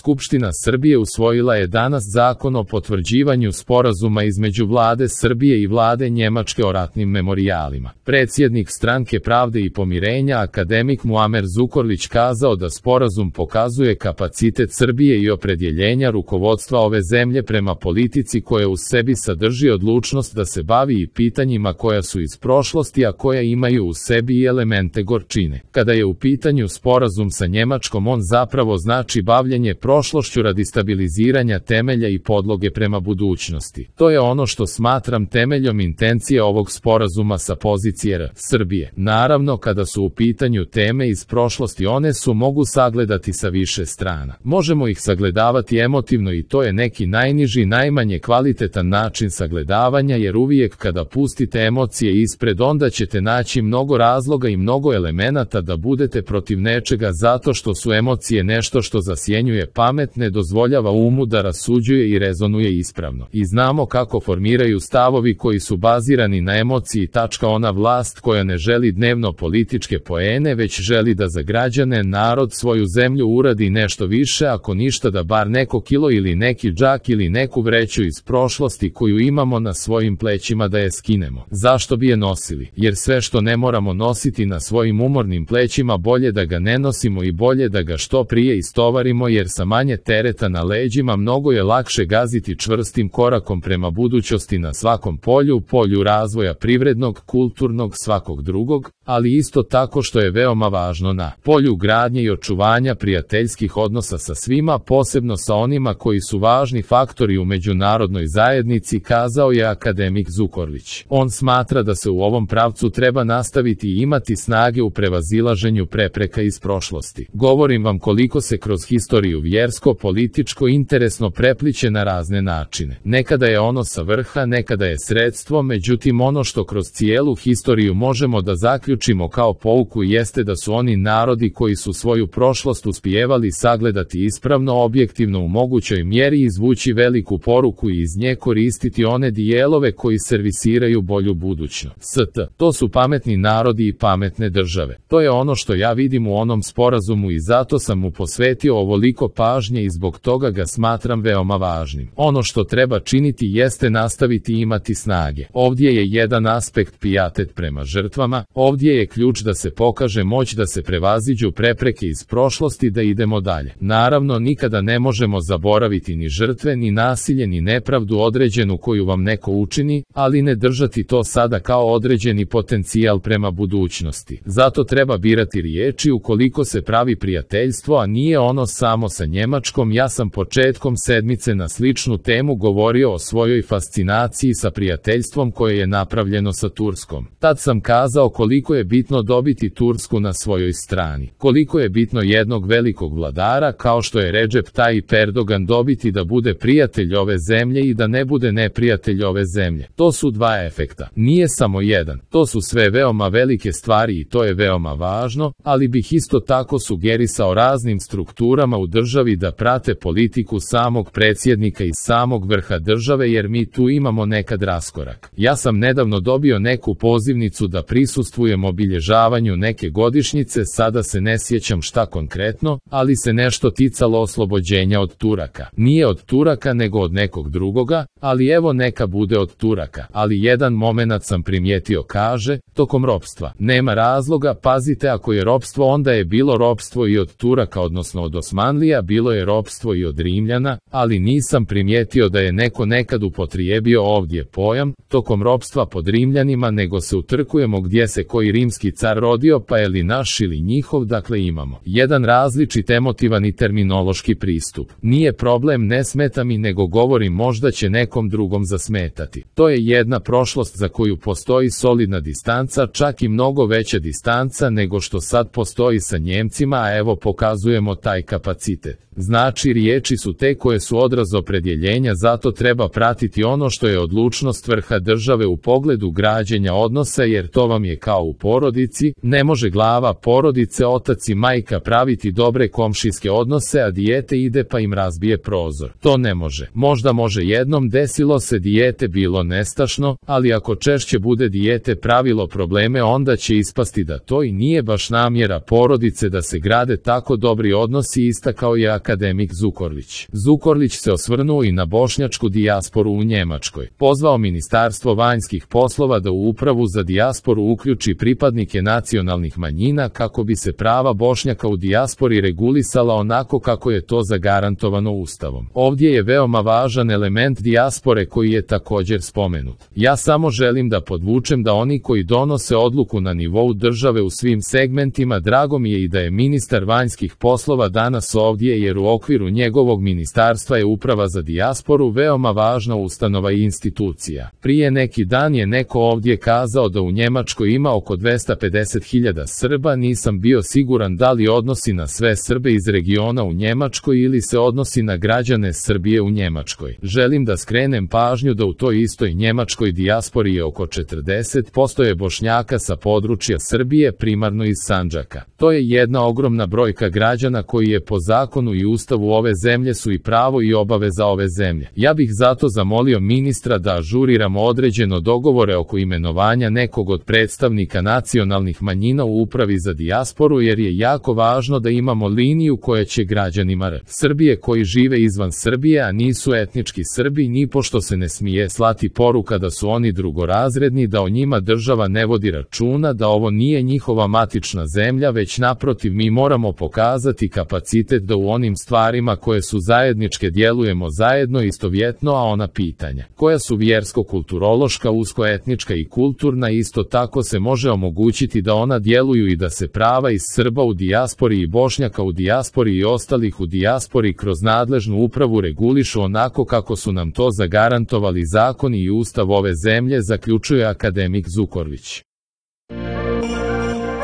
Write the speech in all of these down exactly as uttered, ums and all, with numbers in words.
Skupština Srbije usvojila je danas zakon o potvrđivanju sporazuma između vlade Srbije i vlade Njemačke o ratnim memorijalima. Predsjednik Stranke pravde i pomirenja akademik Muamer Zukorlić kazao da sporazum pokazuje kapacitet Srbije i opredjeljenja rukovodstva ove zemlje prema politici koja u sebi sadrži odlučnost da se bavi i pitanjima koja su iz prošlosti, a koja imaju u sebi i elemente gorčine. Kada je u pitanju sporazum sa Njemačkom, on zapravo znači bavljenje prošlošću radi stabiliziranja temelja i podloge prema budućnosti. To je ono što smatram temeljom intencije ovog sporazuma sa pozicije R. Srbije. Naravno, kada su u pitanju teme iz prošlosti, one su mogu sagledati sa više strana. Možemo ih sagledavati emotivno i to je neki najniži, najmanje kvalitetan način sagledavanja, jer uvijek kada pustite emocije ispred, onda ćete naći mnogo razloga i mnogo elemenata da budete protiv nečega, zato što su emocije nešto što zasjenjuje pamet, ne dozvoljava umu da rasuđuje i rezonuje ispravno. I znamo kako formiraju stavovi koji su bazirani na emociji. Tačka ona vlast koja ne želi dnevno političke poene, već želi da za građane, narod, svoju zemlju uradi nešto više, ako ništa da bar neko kilo ili neki džak ili neku vreću iz prošlosti koju imamo na svojim plećima da je skinemo. Zašto bi je nosili? Jer sve što ne moramo nositi na svojim umornim plećima, bolje da ga ne nosimo i bolje da ga što prije istovarimo, jer sa manje tereta na leđima mnogo je lakše gaziti čvrstim korakom prema budućnosti na svakom polju, polju razvoja privrednog, kulturnog, svakog drugog, ali isto tako što je veoma važno na polju gradnje i očuvanja prijateljskih odnosa sa svima, posebno sa onima koji su važni faktori u međunarodnoj zajednici, kazao je akademik Zukorlić. On smatra da se u ovom pravcu treba nastaviti i imati snage u prevazilaženju prepreka iz prošlosti. Govorim vam koliko se kroz historiju vjersko, političko, interesno prepliće na razne načine. Nekada je ono sa vrha, nekada je sredstvo, međutim ono što kroz cijelu historiju možemo da zaključimo kao pouku jeste da su oni narodi koji su svoju prošlost uspijevali sagledati ispravno, objektivno, u mogućoj mjeri izvući veliku poruku i iz nje koristiti one dijelove koji servisiraju bolju budućnost. St. To su pametni narodi i pametne države. To je ono što ja vidim u onom sporazumu i zato sam mu posvetio ovoliko pažnje i zbog toga ga smatram veoma važnim. Ono što treba činiti jeste nastaviti imati snage. Ovdje je jedan aspekt pijatet prema žrtvama, ovdje je ključ da se pokaže moć, da se prevaziđu prepreke iz prošlosti, da idemo dalje. Naravno, nikada ne možemo zaboraviti ni žrtve, ni nasilje, ni nepravdu određenu koju vam neko učini, ali ne držati to sada kao određeni potencijal prema budućnosti. Zato treba birati riječi ukoliko se pravi prijateljstvo, a nije ono samo sa Njemačkom. Ja sam početkom sedmice na sličnu temu govorio o svojoj fascinaciji sa prijateljstvom koje je napravljeno sa Turskom. Tad sam kazao koliko je bitno dobiti Tursku na svojoj strani, koliko je bitno jednog velikog vladara kao što je Recep Tayyip Erdogan dobiti da bude prijatelj ove zemlje i da ne bude neprijatelj ove zemlje. To su dva efekta. Nije samo jedan. To su sve veoma velike stvari i to je veoma važno, ali bih isto tako sugerisao raznim strukturama u državi da prate politiku samog predsjednika i samog vrha države, jer mi tu imamo nekad raskorak. Ja sam nedavno dobio neku pozivnicu da prisustvujem obilježavanju neke godišnjice, sada se ne sjećam šta konkretno, ali se nešto ticalo oslobođenja od Turaka. Nije od Turaka nego od nekog drugoga, ali evo neka bude od Turaka. Ali jedan momenat sam primijetio, kaže, tokom ropstva. Nema razloga, pazite, ako je ropstvo, onda je bilo ropstvo i od Turaka, odnosno od Osmanlija, bilo je ropstvo i od Rimljana, ali nisam primijetio da je neko nekad upotrijebio ovdje pojam tokom ropstva pod Rimljanima, nego se utrkujemo gdje se koji rimski car rodio, pa je li naš ili njihov. Dakle, imamo jedan različit emotivan i terminološki pristup. Nije problem, ne smeta mi, nego govorim možda će nekom drugom zasmetati. To je jedna prošlost za koju postoji solidna distanca, čak i mnogo veća distanca nego što sad postoji sa Njemcima, a evo pokazujemo taj kapacitet. Znači, riječi su te koje su odraz opredjeljenja, zato treba pratiti ono što je odlučnost vrha države u pogledu građenja odnosa, jer to vam je kao u porodici, ne može glava porodice, otac i majka praviti dobre komšijske odnose, a dijete ide pa im razbije prozor. To ne može. Možda može jednom, desilo se, dijete bilo nestašno, ali ako češće bude dijete pravilo probleme, onda će ispasti da to i nije baš namjera porodice da se grade tako dobri odnosi, istakao je akademik Zukorlić. Zukorlić se osvrnuo i na bošnjačku dijasporu u Njemačkoj. Pozvao Ministarstvo vanjskih poslova da u Upravu za dijasporu uključi pripadnike nacionalnih manjina kako bi se prava Bošnjaka u dijaspori regulisala onako kako je to zagarantovano Ustavom. Ovdje je veoma važan element dijaspore koji je također spomenut. Ja samo želim da podvučem da oni koji donose odluku na nivou države u svim segmentima, drago mi je i da je ministar vanjskih poslova danas ovdje, jer u okviru njegovog ministarstva je Uprava za dijasporu veoma važna ustanova i institucija. Prije neki dan je neko ovdje kazao da u Njemačkoj ima oko dvesta pedeset hiljada Srba, nisam bio siguran da li odnosi na sve Srbe iz regiona u Njemačkoj ili se odnosi na građane Srbije u Njemačkoj. Želim da skrenem pažnju da u toj istoj njemačkoj dijaspori je oko četrdeset posto je Bošnjaka sa područja Srbije, primarno iz Sandžaka. To je jedna ogromna brojka građana koji je po zakonu i ustavu ove zemlje su i pravo i obaveza ove zemlje. Ja bih zato zamolio ministra da ažuriramo određeno dogovore oko imenovanja nekog od predstavnika nacionalnih manjina u Upravi za dijasporu, jer je jako važno da imamo liniju koja će građanima R. Srbije koji žive izvan Srbije, a nisu etnički Srbi, ni pošto se ne smije slati poruka da su oni drugorazredni, da o njima država ne vodi računa, da ovo nije njihova matična zemlja, već naprotiv mi moramo pokazati kapacitet da u onim stvarima koje su zajedničke djelujemo zajedno istovjetno, a ona pitanja koja su vjersko-kulturološka, usko-etnička i kulturna isto tako se može omogućiti da ona djeluju i da se prava iz Srba u dijaspori i Bošnjaka u dijaspori i ostalih u dijaspori kroz nadležnu upravu regulišu onako kako su nam to zagarantovali zakoni i ustav ove zemlje, zaključuje akademik Zukorlić.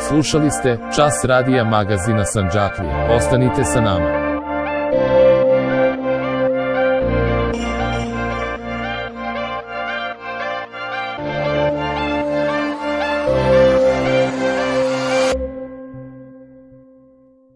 Slušali ste Čas radija magazina Sandžaklija. Ostanite sa nama.